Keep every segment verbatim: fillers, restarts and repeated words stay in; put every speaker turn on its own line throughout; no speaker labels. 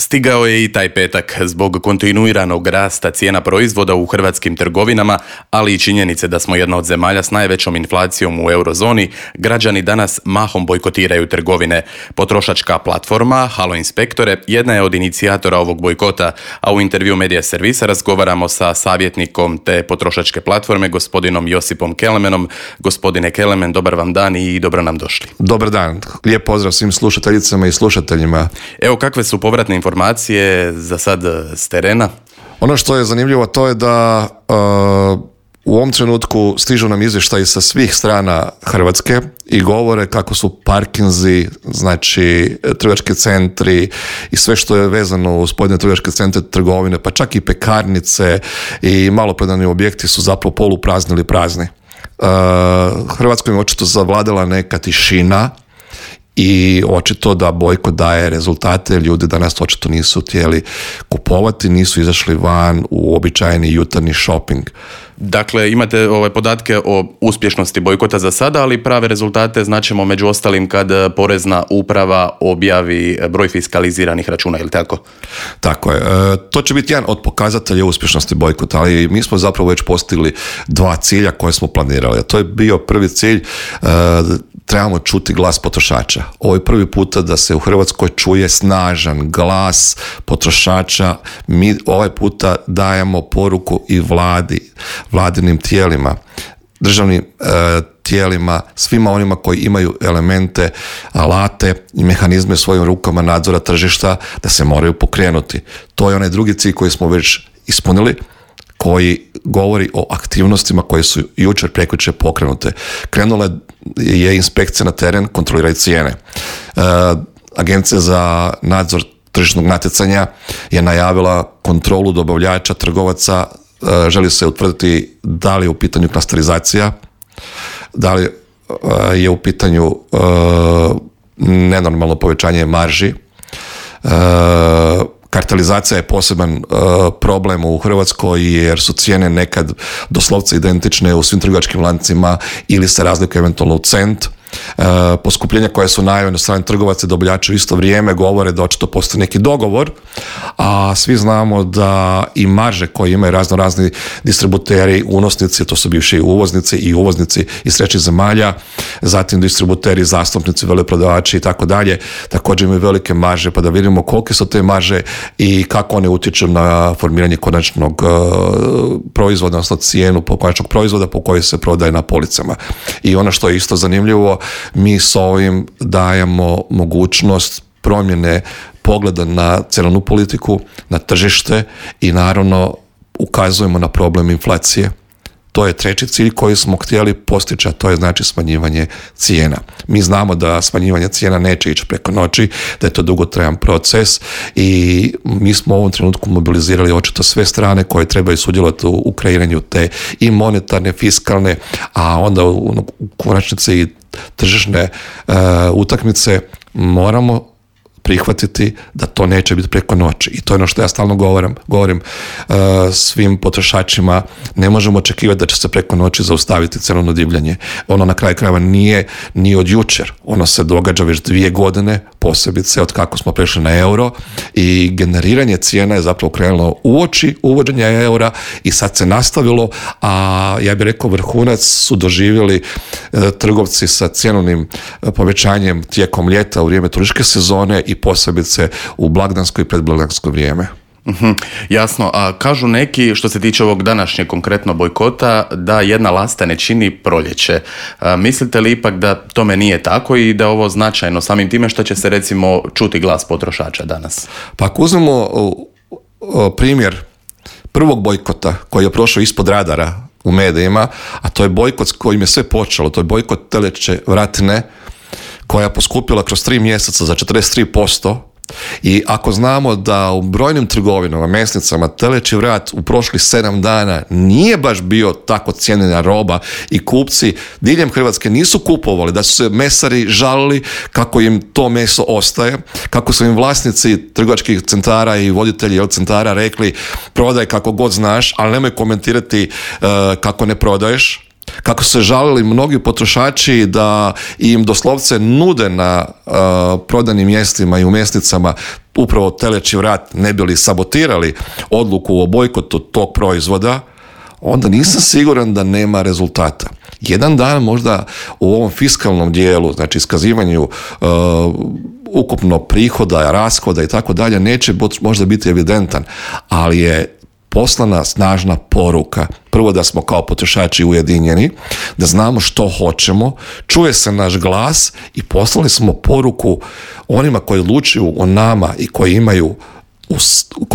Stigao je i taj petak. Zbog kontinuiranog rasta cijena proizvoda u hrvatskim trgovinama, ali i činjenice da smo jedna od zemalja s najvećom inflacijom u eurozoni, građani danas mahom bojkotiraju trgovine. Potrošačka platforma Halo Inspektore jedna je od inicijatora ovog bojkota, a u intervju Medija Servisa razgovaramo sa savjetnikom te potrošačke platforme, gospodinom Josipom Kelemenom. Gospodine Kelemen, dobar vam dan i dobro nam došli.
Dobar dan. Lijep pozdrav svim slušateljicama i slušateljima.
Evo, kakve su povratne informacije za sad s terena?
Ono što je zanimljivo to je da uh, u ovom trenutku stižu nam izvještaji sa svih strana Hrvatske i govore kako su parkinzi, znači trgovački centri i sve što je vezano uz pojedine trgovačke centre, trgovine, pa čak i pekarnice i maloprodajni objekti su zapravo poluprazni ili prazni. Uh, Hrvatskoj je očito zavladala neka tišina i očito da bojkot daje rezultate. Ljudi danas očito nisu htjeli kupovati, nisu izašli van u običajni jutarnji shopping.
Dakle, imate ove podatke o uspješnosti bojkota za sada, ali prave rezultate značimo među ostalim kad Porezna uprava objavi broj fiskaliziranih računa, ili tako?
Tako je. E, to će biti jedan od pokazatelja uspješnosti bojkota, ali mi smo zapravo već postigli dva cilja koje smo planirali. A to je bio prvi cilj, e, trebamo čuti glas potrošača. Ovo je prvi puta da se u Hrvatskoj čuje snažan glas potrošača. Mi ovaj puta dajemo poruku i vladi, vladinim tijelima, državnim e, tijelima, svima onima koji imaju elemente, alate i mehanizme svojim rukama nadzora tržišta da se moraju pokrenuti. To je onaj drugi cilj koji smo već ispunili, koji govori o aktivnostima koje su jučer prekjučer pokrenute. Krenula je inspekcija na teren, kontroliraju cijene. E, Agencija za nadzor tržišnog natjecanja je najavila kontrolu dobavljača, trgovaca, e, želi se utvrditi da li je u pitanju klasterizacija, da li e, je u pitanju e, nenormalno povećanje marži. E, Kartelizacija je poseban uh, problem u Hrvatskoj jer su cijene nekad doslovce identične u svim trgovačkim lancima ili se razlikuju eventualno u cent. Uh, poskupljenja koja su najavljena od strane trgovaca i dobavljača u isto vrijeme govore da očito postoji neki dogovor, a svi znamo da i marže koje imaju razno razni distributeri, unosnici, to su bivši uvoznici i uvoznici iz trećih zemalja, zatim distributeri, zastupnici, veleprodavači i tako dalje, također imaju velike marže, pa da vidimo kolike su te marže i kako one utječu na formiranje konačnog uh, proizvoda, odnosno cijenu po konačnog proizvoda po kojoj se prodaje na policama. I ono što je isto zanimljivo, mi s ovim dajemo mogućnost promjene pogleda na cjenovnu politiku, na tržište i naravno ukazujemo na problem inflacije. To je treći cilj koji smo htjeli postići, a to je znači smanjivanje cijena. Mi znamo da smanjivanje cijena neće ići preko noći, da je to dugotrajan proces i mi smo u ovom trenutku mobilizirali očito sve strane koje trebaju sudjelovati u, u kreiranju te i monetarne, fiskalne, a onda u, u konačnici i tržišne uh, utakmice. Moramo prihvatiti da to neće biti preko noći. I to je ono što ja stalno govorim, govorim uh, svim potrošačima. Ne možemo očekivati da će se preko noći zaustaviti cenovno divljanje. Ono na kraju krajeva nije ni od jučer. Ono se događa već dvije godine, posebice od kako smo prešli na euro i generiranje cijena je zapravo krenulo uoči uvođenja eura i sad se nastavilo, a ja bih rekao vrhunac su doživjeli uh, trgovci sa cjenovnim uh, povećanjem tijekom ljeta u vrijeme turističke sezone i posebice u blagdansko i predblagdansko vrijeme.
Uhum, jasno, a kažu neki što se tiče ovog današnjeg konkretno bojkota da jedna lasta ne čini proljeće. A, mislite li ipak da tome nije tako i da ovo značajno samim time što će se recimo čuti glas potrošača danas?
Pa ako uzmemo o, o, primjer prvog bojkota koji je prošao ispod radara u medijima, a to je bojkot s kojim je sve počelo, to je bojkot teleće vratne koja je poskupila kroz tri mjeseca za četrdeset tri posto. I ako znamo da u brojnim trgovinama, mesnicama, teleći vrat u prošlih sedam dana nije baš bio tako cijenjena roba i kupci diljem Hrvatske nisu kupovali, da su se mesari žalili kako im to meso ostaje, kako su im vlasnici trgovačkih centara i voditelji centara rekli prodaj kako god znaš, ali nemoj komentirati uh, kako ne prodaješ. Kako se žalili mnogi potrošači da im doslovce nude na uh, prodajnim mjestima i u mesnicama upravo teleći vrat ne bili sabotirali odluku o bojkotu tog proizvoda, onda nisam siguran da nema rezultata. Jedan dan možda u ovom fiskalnom dijelu, znači iskazivanju uh, ukupno prihoda, rashoda i tako dalje, neće možda biti evidentan, ali je poslana snažna poruka. Prvo da smo kao potrošači ujedinjeni, da znamo što hoćemo, čuje se naš glas i poslali smo poruku onima koji odlučuju o nama i koji imaju u,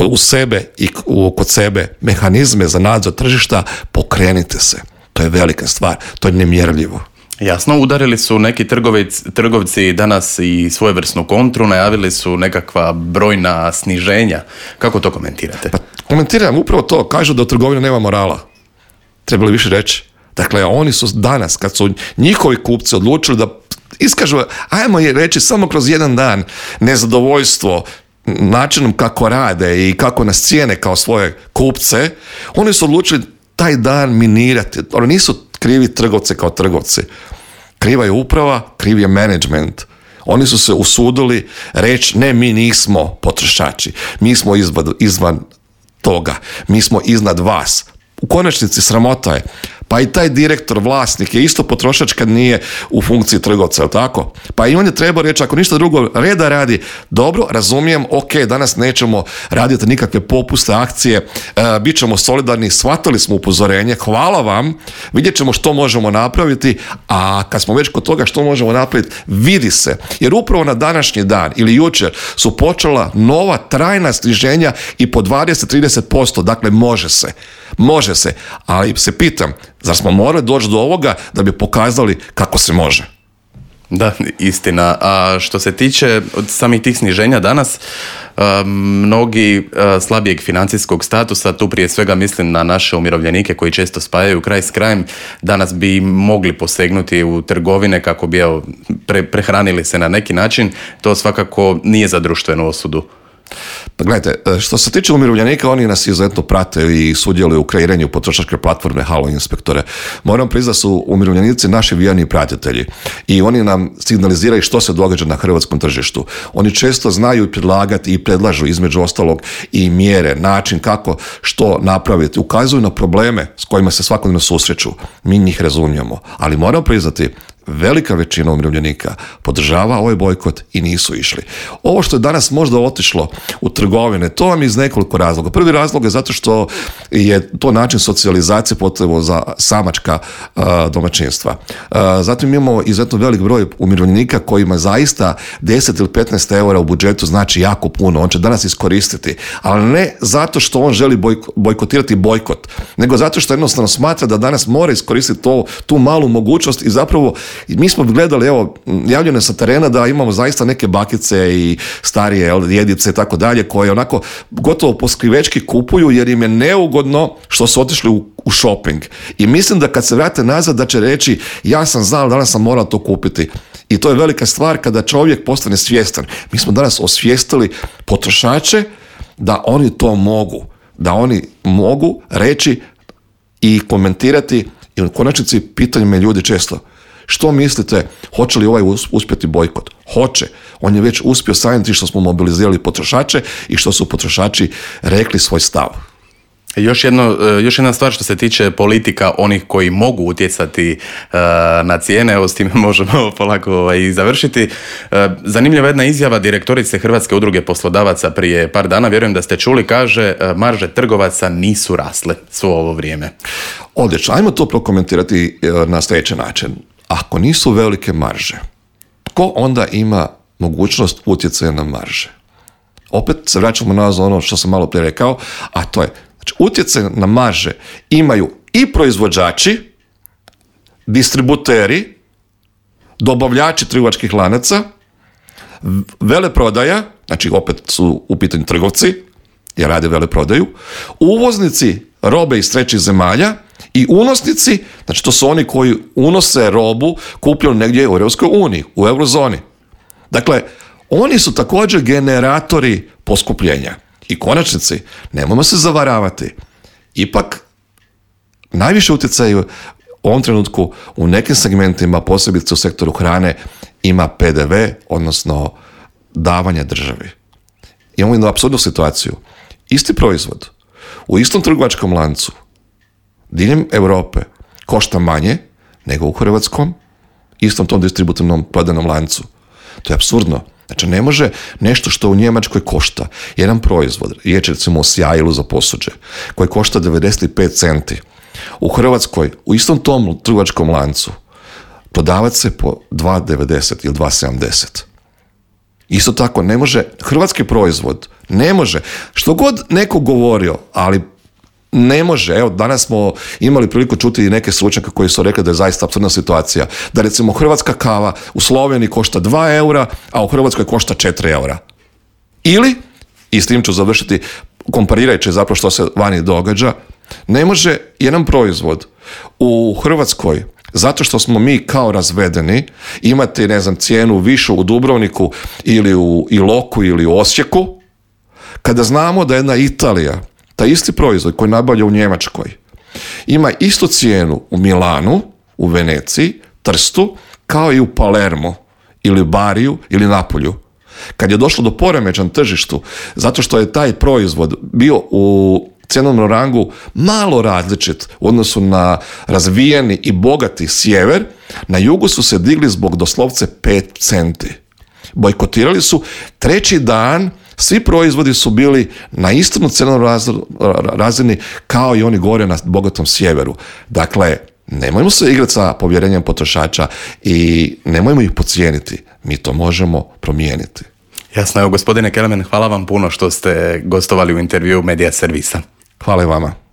u sebe i u, kod sebe mehanizme za nadzor tržišta, pokrenite se. To je velika stvar, to je nemjerljivo.
Jasno, udarili su neki trgovci, trgovci danas i svojevrsnu kontru, najavili su nekakva brojna sniženja. Kako to komentirate?
Pa, komentiram upravo to, kažu da u trgovini nema morala. Trebali više reći. Dakle, oni su danas, kad su njihovi kupci odlučili da iskažu, ajmo je reći samo kroz jedan dan, nezadovoljstvo načinom kako rade i kako nas cijene kao svoje kupce, oni su odlučili taj dan minirati. Oni nisu krivi trgovci kao trgovci. Kriva je uprava, kriv je management. Oni su se usudili reći ne, mi nismo potrošači. Mi smo izvan, izvan toga. Mi smo iznad vas. U konačnici sramota je. Pa i taj direktor, vlasnik je isto potrošač kad nije u funkciji trgovca, je li tako? Pa i on je trebao reći, ako ništa drugo, reda radi, dobro, razumijem, ok, danas nećemo raditi nikakve popuste, akcije, e, bit ćemo solidarni, shvatili smo upozorenje, hvala vam, vidjet ćemo što možemo napraviti, a kad smo već kod toga što možemo napraviti, vidi se, jer upravo na današnji dan ili jučer su počela nova trajna sniženja i po dvadeset do trideset posto, dakle može se, može se, ali se pitam, zar smo morali doći do ovoga da bi pokazali kako se može?
Da, istina. A što se tiče od samih tih sniženja danas, mnogi slabijeg financijskog statusa, tu prije svega mislim na naše umirovljenike koji često spajaju kraj s krajem, danas bi mogli posegnuti u trgovine kako bi evo, pre, prehranili se na neki način. To svakako nije za društvenu osudu.
Pa gledajte, što se tiče umirovljenika, oni nas izuzetno prate i sudjeluju u kreiranju potrošačke platforme Halo Inspektore. Moram priznati da su umirovljenici naši vjerni pratitelji i oni nam signaliziraju što se događa na hrvatskom tržištu. Oni često znaju predlagati i predlažu između ostalog i mjere, način kako što napraviti. Ukazuju na probleme s kojima se svakodnevno susreću. Mi njih razumijemo, ali moram priznati, velika većina umirovljenika podržava ovaj bojkot i nisu išli. Ovo što je danas možda otišlo u trgovine, to vam je iz nekoliko razloga. Prvi razlog je zato što je to način socijalizacije potrebno za samačka uh, domaćinstva. Uh, zatim imamo izuzetno velik broj umirovljenika kojima zaista deset ili petnaest eura u budžetu znači jako puno. On će danas iskoristiti, ali ne zato što on želi bojko, bojkotirati bojkot, nego zato što jednostavno smatra da danas mora iskoristiti to, tu malu mogućnost i zapravo i mi smo gledali, evo, javljeno sa terena da imamo zaista neke bakice i starije djedice i tako dalje, koje onako gotovo poskrivečki kupuju jer im je neugodno što su otišli u, u shopping. I mislim da kad se vrate nazad da će reći ja sam znao, danas sam morao to kupiti. I to je velika stvar kada čovjek postane svjestan. Mi smo danas osvijestili potrošače da oni to mogu. Da oni mogu reći i komentirati i u konačnici pitaju me ljudi često. Što mislite, hoće li ovaj uspjeti bojkot? Hoće. On je već uspio samim tim što smo mobilizirali potrošače i što su potrošači rekli svoj stav.
Još, jedno, još jedna stvar što se tiče politika onih koji mogu utjecati uh, na cijene, evo s time možemo polako i završiti. Uh, zanimljiva jedna izjava direktorice Hrvatske udruge poslodavaca prije par dana, vjerujem da ste čuli, kaže uh, marže trgovaca nisu rasle svo ovo vrijeme.
Odlično, ajmo to prokomentirati uh, na sljedeći način. Ako nisu velike marže, tko onda ima mogućnost utjecaja na marže? Opet se vraćamo nazad ono što sam malo prije rekao, a to je, znači, utjecaj na marže imaju i proizvođači, distributeri, dobavljači trgovačkih lanaca, veleprodaja, znači opet su u pitanju trgovci, jer rade veleprodaju, uvoznici robe iz trećih zemalja i unosnici, znači to su oni koji unose robu kupljenu negdje u Europskoj uniji, u eurozoni. Dakle, oni su također generatori poskupljenja. I konačnici, nemojmo se zavaravati, ipak najviše utjecaju u ovom trenutku u nekim segmentima, posebice u sektoru hrane, ima P D V, odnosno davanje državi. imamo jednu apsurdnu situaciju. Isti proizvod u istom trgovačkom lancu diljem Europe košta manje nego u hrvatskom istom tom distributivnom prodajnom lancu. To je apsurdno. Znači, ne može nešto što u Njemačkoj košta jedan proizvod, riječ recimo o sjajilu za posuđe, koji košta devedeset pet centi. U Hrvatskoj, u istom tom trgovačkom lancu, prodavati se po dva devedeset ili dva sedamdeset. Isto tako, ne može, hrvatski proizvod, ne može, što god neko govorio, ali ne može. Evo, danas smo imali priliku čuti i neke stručnjake koji su rekli da je zaista apsurdna situacija. Da recimo hrvatska kava u Sloveniji košta dva eura, a u Hrvatskoj košta četiri eura. Ili, i s tim ću završiti, komparirajući zapravo što se vani događa, ne može jedan proizvod u Hrvatskoj, zato što smo mi kao razvedeni, imati, ne znam, cijenu višu u Dubrovniku ili u Iloku ili u Osijeku, kada znamo da jedna Italija, taj isti proizvod koji nabavlja u Njemačkoj, ima istu cijenu u Milanu, u Veneciji, Trstu, kao i u Palermo, ili Bariju, ili Napolju. Kad je došlo do poremećaja na tržištu, zato što je taj proizvod bio u cjenovnom rangu malo različit u odnosu na razvijeni i bogati sjever, na jugu su se digli zbog doslovce pet centi. Bojkotirali su treći dan. Svi proizvodi su bili na istom cenovnom razini kao i oni gore na bogatom sjeveru. Dakle, nemojmo se igrati sa povjerenjem potrošača i nemojmo ih podcijeniti. Mi to možemo promijeniti.
Jasno, evo gospodine Kelemen, hvala vam puno što ste gostovali u intervjuu Medija Servisa.
Hvala i vama.